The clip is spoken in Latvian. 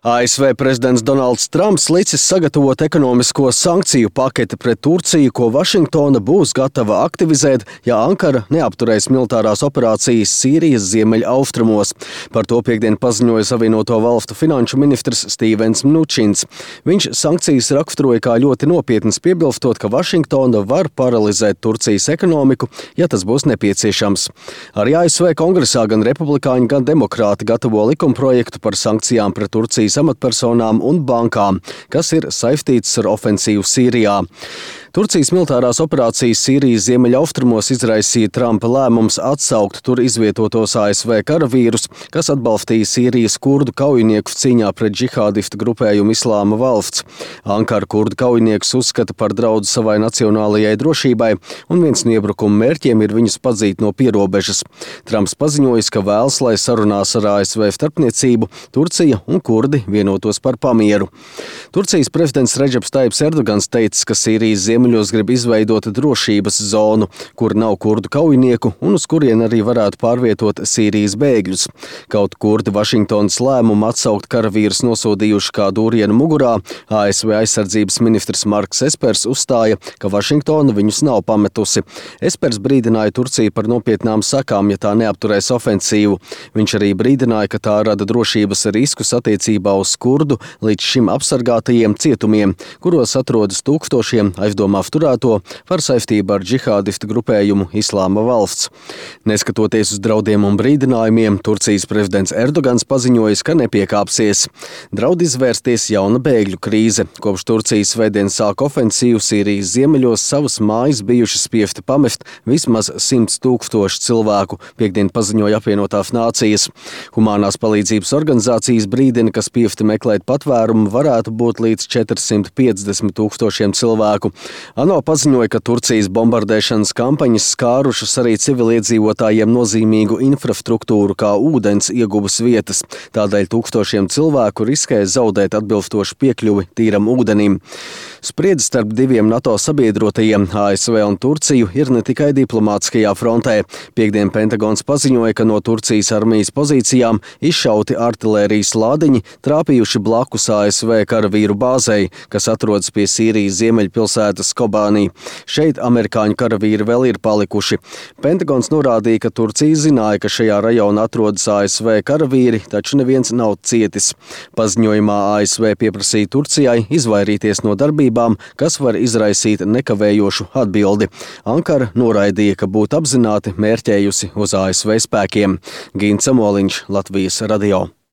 ASV prezidents Donalds Trumps licis sagatavot ekonomisko sankciju paketi pret Turciju, ko Vašingtona būs gatava aktivizēt, ja Ankara neapturēs militārās operācijas Sīrijas ziemeļaustrumos. Par to piektdien paziņoja Savienoto Valstu finanšu ministrs Stevens Mnučins. Viņš sankcijas raksturoja kā ļoti nopietnas, piebilstot, ka Vašingtona var paralizēt Turcijas ekonomiku, ja tas būs nepieciešams. Arī ASV kongresā gan republikāņi, gan demokrāti gatavo likumprojektu par sankcijām pret Turcijas amatpersonām un bankām, kas ir saistītas ar ofensīvu Sīrijā. Turcijas militārās operācijas Sīrijas ziemeļaustrumos izraisīja Trumpa lēmums atsaukt tur izvietotos ASV karavīrus, kas atbalstīja Sīrijas kurdu kaujiniekus cīņā pret džihādistu grupējumu Islāma valsts. Ankara kurdu kaujiniekus uzskata par draudu savai nacionālajai drošībai, un viens no iebrukuma mērķiem ir viņus padzīt no pierobežas. Trumps paziņojis, ka vēlas, lai sarunās ar ASV starpniecību Turcija un kurdi vienotos par pamieru. Turcijas prezidents Redžeps Tajibs Erdogans teicis, ka Sīrijas ziemeļos grib izveidot drošības zonu, kur nav kurdu kaujinieku un uz kurien arī varētu pārvietot Sīrijas bēgļus. Kaut kurdi Vašingtonas lēmumu atsaukt karavīrus nosodījuši kā dūrienu mugurā, ASV aizsardzības ministrs Marks Espers uzstāja, ka Vašingtona viņus nav pametusi. Espers brīdināja Turciju par nopietnām sakām, ja tā neapturēs ofensīvu. Viņš arī brīdināja, ka tā rada drošības riskus attiecībā uz kurdu līdz šim apsargātajiem cietumiem, kuros atrodas tūkstošiem aizdomā turēto par saistību ar džihādistu grupējumu Islāma valsts. Neskatoties uz draudiem un brīdinājumiem, Turcijas prezidents Erdogans paziņojis, ka nepiekāpsies. Draud izvērsties jauna bēgļu krīze. Kopš Turcijas svētdien sāk ofensīvu Sīrijas ziemeļos savas mājas bijuši spiesti pamest vismaz 100 000 cilvēku, piektdien paziņoja apvienotās nācijas. Humanās palīdzības organizācijas brīdina, ka spiesti meklēt patvērumu varētu būt līdz 450 000 cilvēku. ANO paziņoja, ka Turcijas bombardēšanas kampaņas skārušas arī civiliedzīvotājiem nozīmīgu infrastruktūru kā ūdens ieguvas vietas. Tādēļ tūkstošiem cilvēku riskē zaudēt atbilstošu piekļuvi tīram ūdenim. Spriedze starp diviem NATO sabiedrotajiem, ASV un Turciju, ir ne tikai diplomātiskajā frontē. Piektdien Pentagons paziņoja, ka no Turcijas armijas pozīcijām izšauti artilērijas lādiņi trāpījuši blakus ASV karavīru bāzei, kas atrodas pie Sīrijas ziemeļpilsētas Kobānī. Šeit amerikāņu karavīri vēl ir palikuši. Pentagons norādīja, ka Turcija zināja, ka šajā rajonā atrodas ASV karavīri, taču neviens nav cietis. Paziņojumā ASV pieprasīja Turcijai izvairīties no darbībām, kas var izraisīt nekavējošu atbildi. Ankara noraidīja, ka būtu apzināti mērķējusi uz ASV spēkiem. Gints Samoliņš, Latvijas radio.